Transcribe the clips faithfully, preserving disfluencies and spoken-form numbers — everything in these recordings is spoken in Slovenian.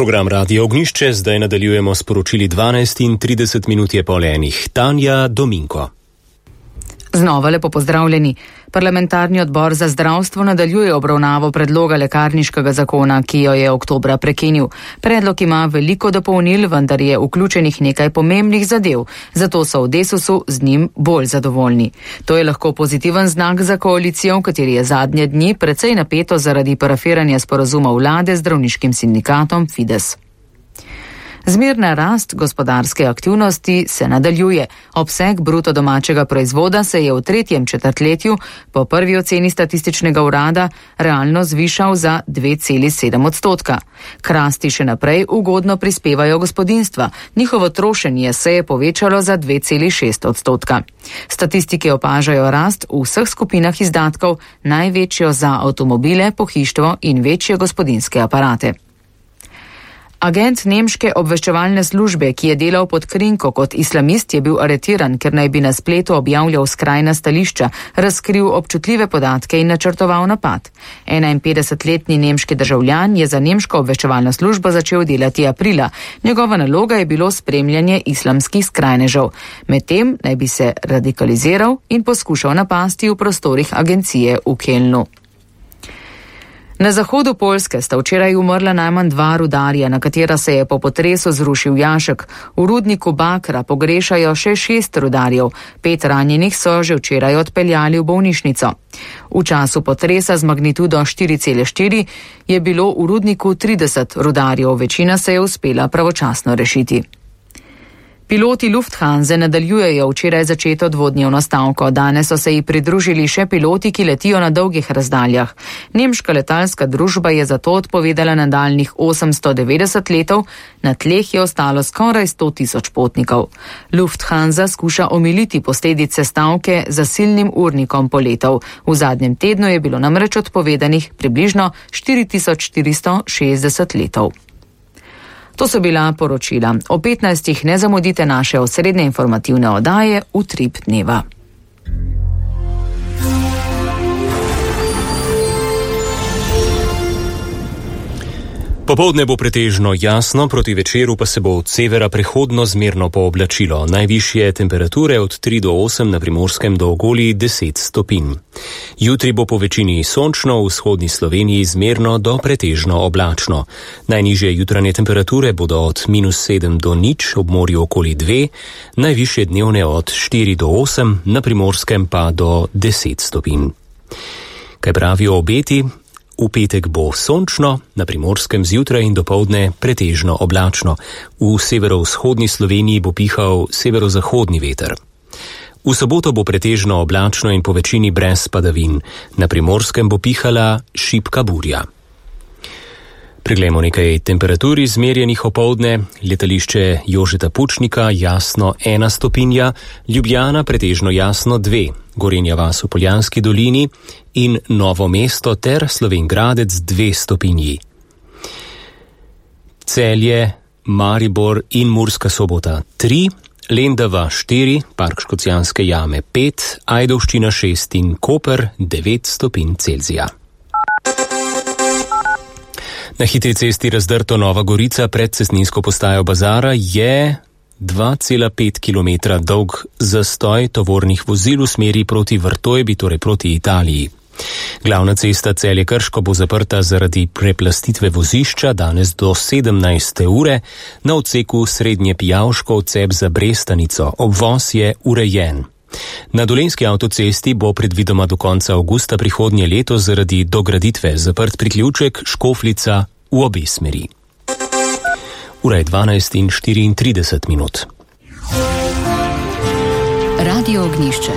Program Radio Ognišče zdaj nadaljujemo s poročili dvanajst in trideset minut je pol enih. Tanja Dominko. Znova lepo pozdravljeni. Parlamentarni odbor za zdravstvo nadaljuje obravnavo predloga lekarniškega zakona, ki jo je oktobra prekinil. Predlog ima veliko dopolnil, vendar je vključenih nekaj pomembnih zadev, zato so v Desusu z njim bolj zadovoljni. To je lahko pozitiven znak za koalicijo, v kateri je zadnje dni precej napeto zaradi parafiranja sporazuma vlade z zdravniškim sindikatom Fides. Zmerna rast gospodarske aktivnosti se nadaljuje. Obseg bruto domačega proizvoda se je v tretjem četrtletju po prvi oceni statističnega urada realno zvišal za dve celi sedem odstotka. K rasti še naprej ugodno prispevajo gospodinjstva. Njihovo trošenje se je povečalo za dve celi šest odstotka. Statistike opažajo rast v vseh skupinah izdatkov, največjo za avtomobile, pohištvo in večje gospodinjske aparate. Agent nemške obveščevalne službe, ki je delal pod krinko kot islamist, je bil aretiran, ker naj bi na spletu objavljal skrajna stališča, razkril občutljive podatke in načrtoval napad. enainpetdesetletni nemški državljan je za nemško obveščevalno službo začel delati aprila. Njegova naloga je bilo spremljanje islamskih skrajnežev. Medtem naj bi se radikaliziral in poskušal napasti v prostorih agencije v Kelnu. Na zahodu Poljske sta včeraj umrla najmanj dva rudarja, na katera se je po potresu zrušil jašek. V rudniku Bakra pogrešajo še šest rudarjev. Pet ranjenih so že včeraj odpeljali v bolnišnico. V času potresa z magnitudo štiri cele štiri je bilo v rudniku trideset rudarjev, večina se je uspela pravočasno rešiti. Piloti Lufthanse nadaljujejo včeraj začeto dvodnevno stavko. Danes so se ji pridružili še piloti, ki letijo na dolgih razdaljah. Nemška letalska družba je zato odpovedala nadaljnjih osemsto devetdeset letov, na tleh je ostalo skoraj sto tisoč potnikov. Lufthansa skuša omiliti posledice stavke za silnim urnikom poletov. V zadnjem tednu je bilo namreč odpovedanih približno štiri tisoč štiristo šestdeset letov. To so bila poročila. O petnajstih ne zamudite naše osrednje informativne oddaje Utrip dneva. Popoldne bo pretežno jasno, proti večeru pa se bo od severa prehodno zmerno pooblačilo. Najvišje temperature od tri do osem, na Primorskem do okoli deset stopinj. Jutri bo po večini sončno, v vzhodni Sloveniji zmerno do pretežno oblačno. Najnižje jutranje temperature bodo od minus sedem do nič, ob morju okoli dve, najvišje dnevne od štiri do osem, na Primorskem pa do deset stopinj. Kaj pravijo obeti? V petek bo sončno, na Primorskem zjutraj in dopoldne pretežno oblačno. V severovzhodni Sloveniji bo pihal severozahodni veter. V soboto bo pretežno oblačno in po večini brez padavin. Na Primorskem bo pihala šibka burja. Preglejmo nekaj temperatur izmerjenih opoldne. Letališče Jožeta Pučnika jasno ena stopinja, Ljubljana pretežno jasno dve, Gorenja vas v Poljanski dolini in Novo mesto ter Slovenj Gradec dve stopinji. Celje, Maribor in Murska Sobota tri, Lendava štiri, Park Škocjanske jame pet, Ajdovščina šest in Koper devet stopinj Celzija. Na hitri cesti Razdrto Nova Gorica pred cestninsko postajo Bazara je dva cela pet kilometra dolg zastoj tovornih vozil v smeri proti Vrtojbi, torej proti Italiji. Glavna cesta Celje-Krško bo zaprta zaradi preplastitve vozišča danes do sedemnajste ure na odseku Srednje Pijavško odcep za Brestanico. Obvoz je urejen. Na Dolenjski avtocesti bo predvidoma do konca avgusta prihodnje leto zaradi dograditve zaprt priključek Škofljica v obe smeri. Ura je dvanajst in štiriintrideset minut. Radio Ognišče.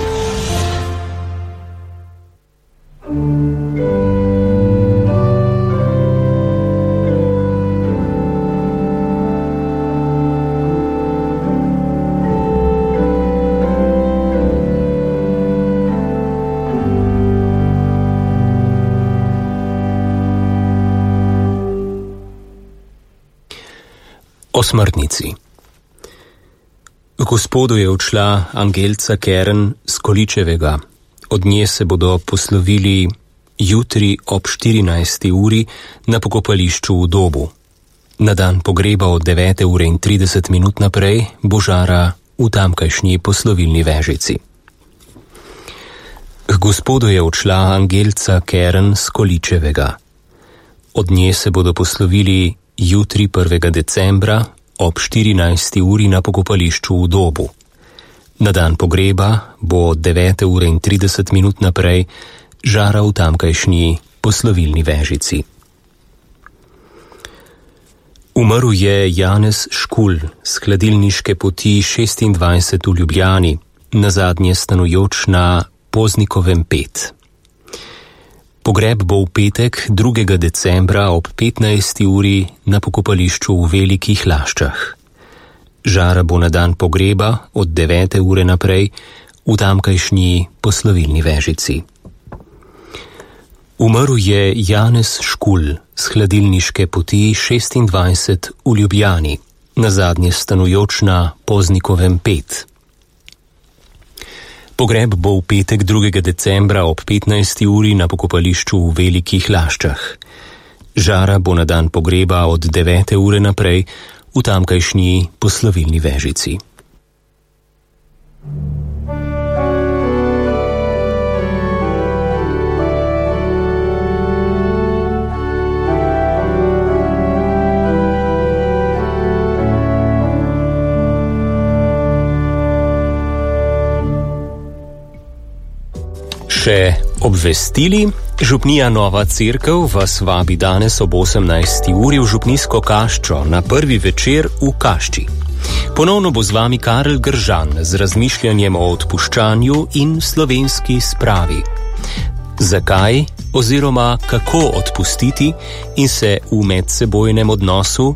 O smrtnici. Gospodu je odšla Angelca Kern z Količevega. Od nje se bodo poslovili jutri ob štirinajsti uri na pokopališču v Dobu. Na dan pogreba od devete ure in trideset minut naprej bo Žara v tamkajšnji poslovilni vežici. K Gospodu je odšla Angelca Keren z Količevega. Od nje se bodo poslovili jutri prvega decembra ob štirinajsti uri na pokopališču v Dobu. Na dan pogreba bo od devete ure in trideset minut naprej Žara v tamkajšnji poslovilni vežici. Umrl je Janez Škulj z hladilniške poti šestindvajset v Ljubljani, nazadnje stanujoč na Poznikovem pet. Pogreb bo v petek drugega decembra ob petnajsti uri na pokopališču v Velikih Laščah. Žara bo na dan pogreba od devete ure naprej v tamkajšnji poslovilni vežici. Umrl je Janez Škulj z hladilniške poti šestindvajset v Ljubljani, nazadnje stanujoč na Poznikovem pet. Pogreb bo v petek drugega decembra ob petnajsti uri na pokopališču v Velikih Laščah. Žara bo na dan pogreba od devete ure naprej v tamkajšnji poslovilni vežici. Še obvestili, župnija Nova Cerkev vas vabi danes ob osemnajsti uri v župnijsko kaščo na prvi večer v Kašči. Ponovno bo z vami Karel Gržan z razmišljanjem o odpuščanju in slovenski spravi. Zakaj oziroma kako odpustiti in se v medsebojnem odnosu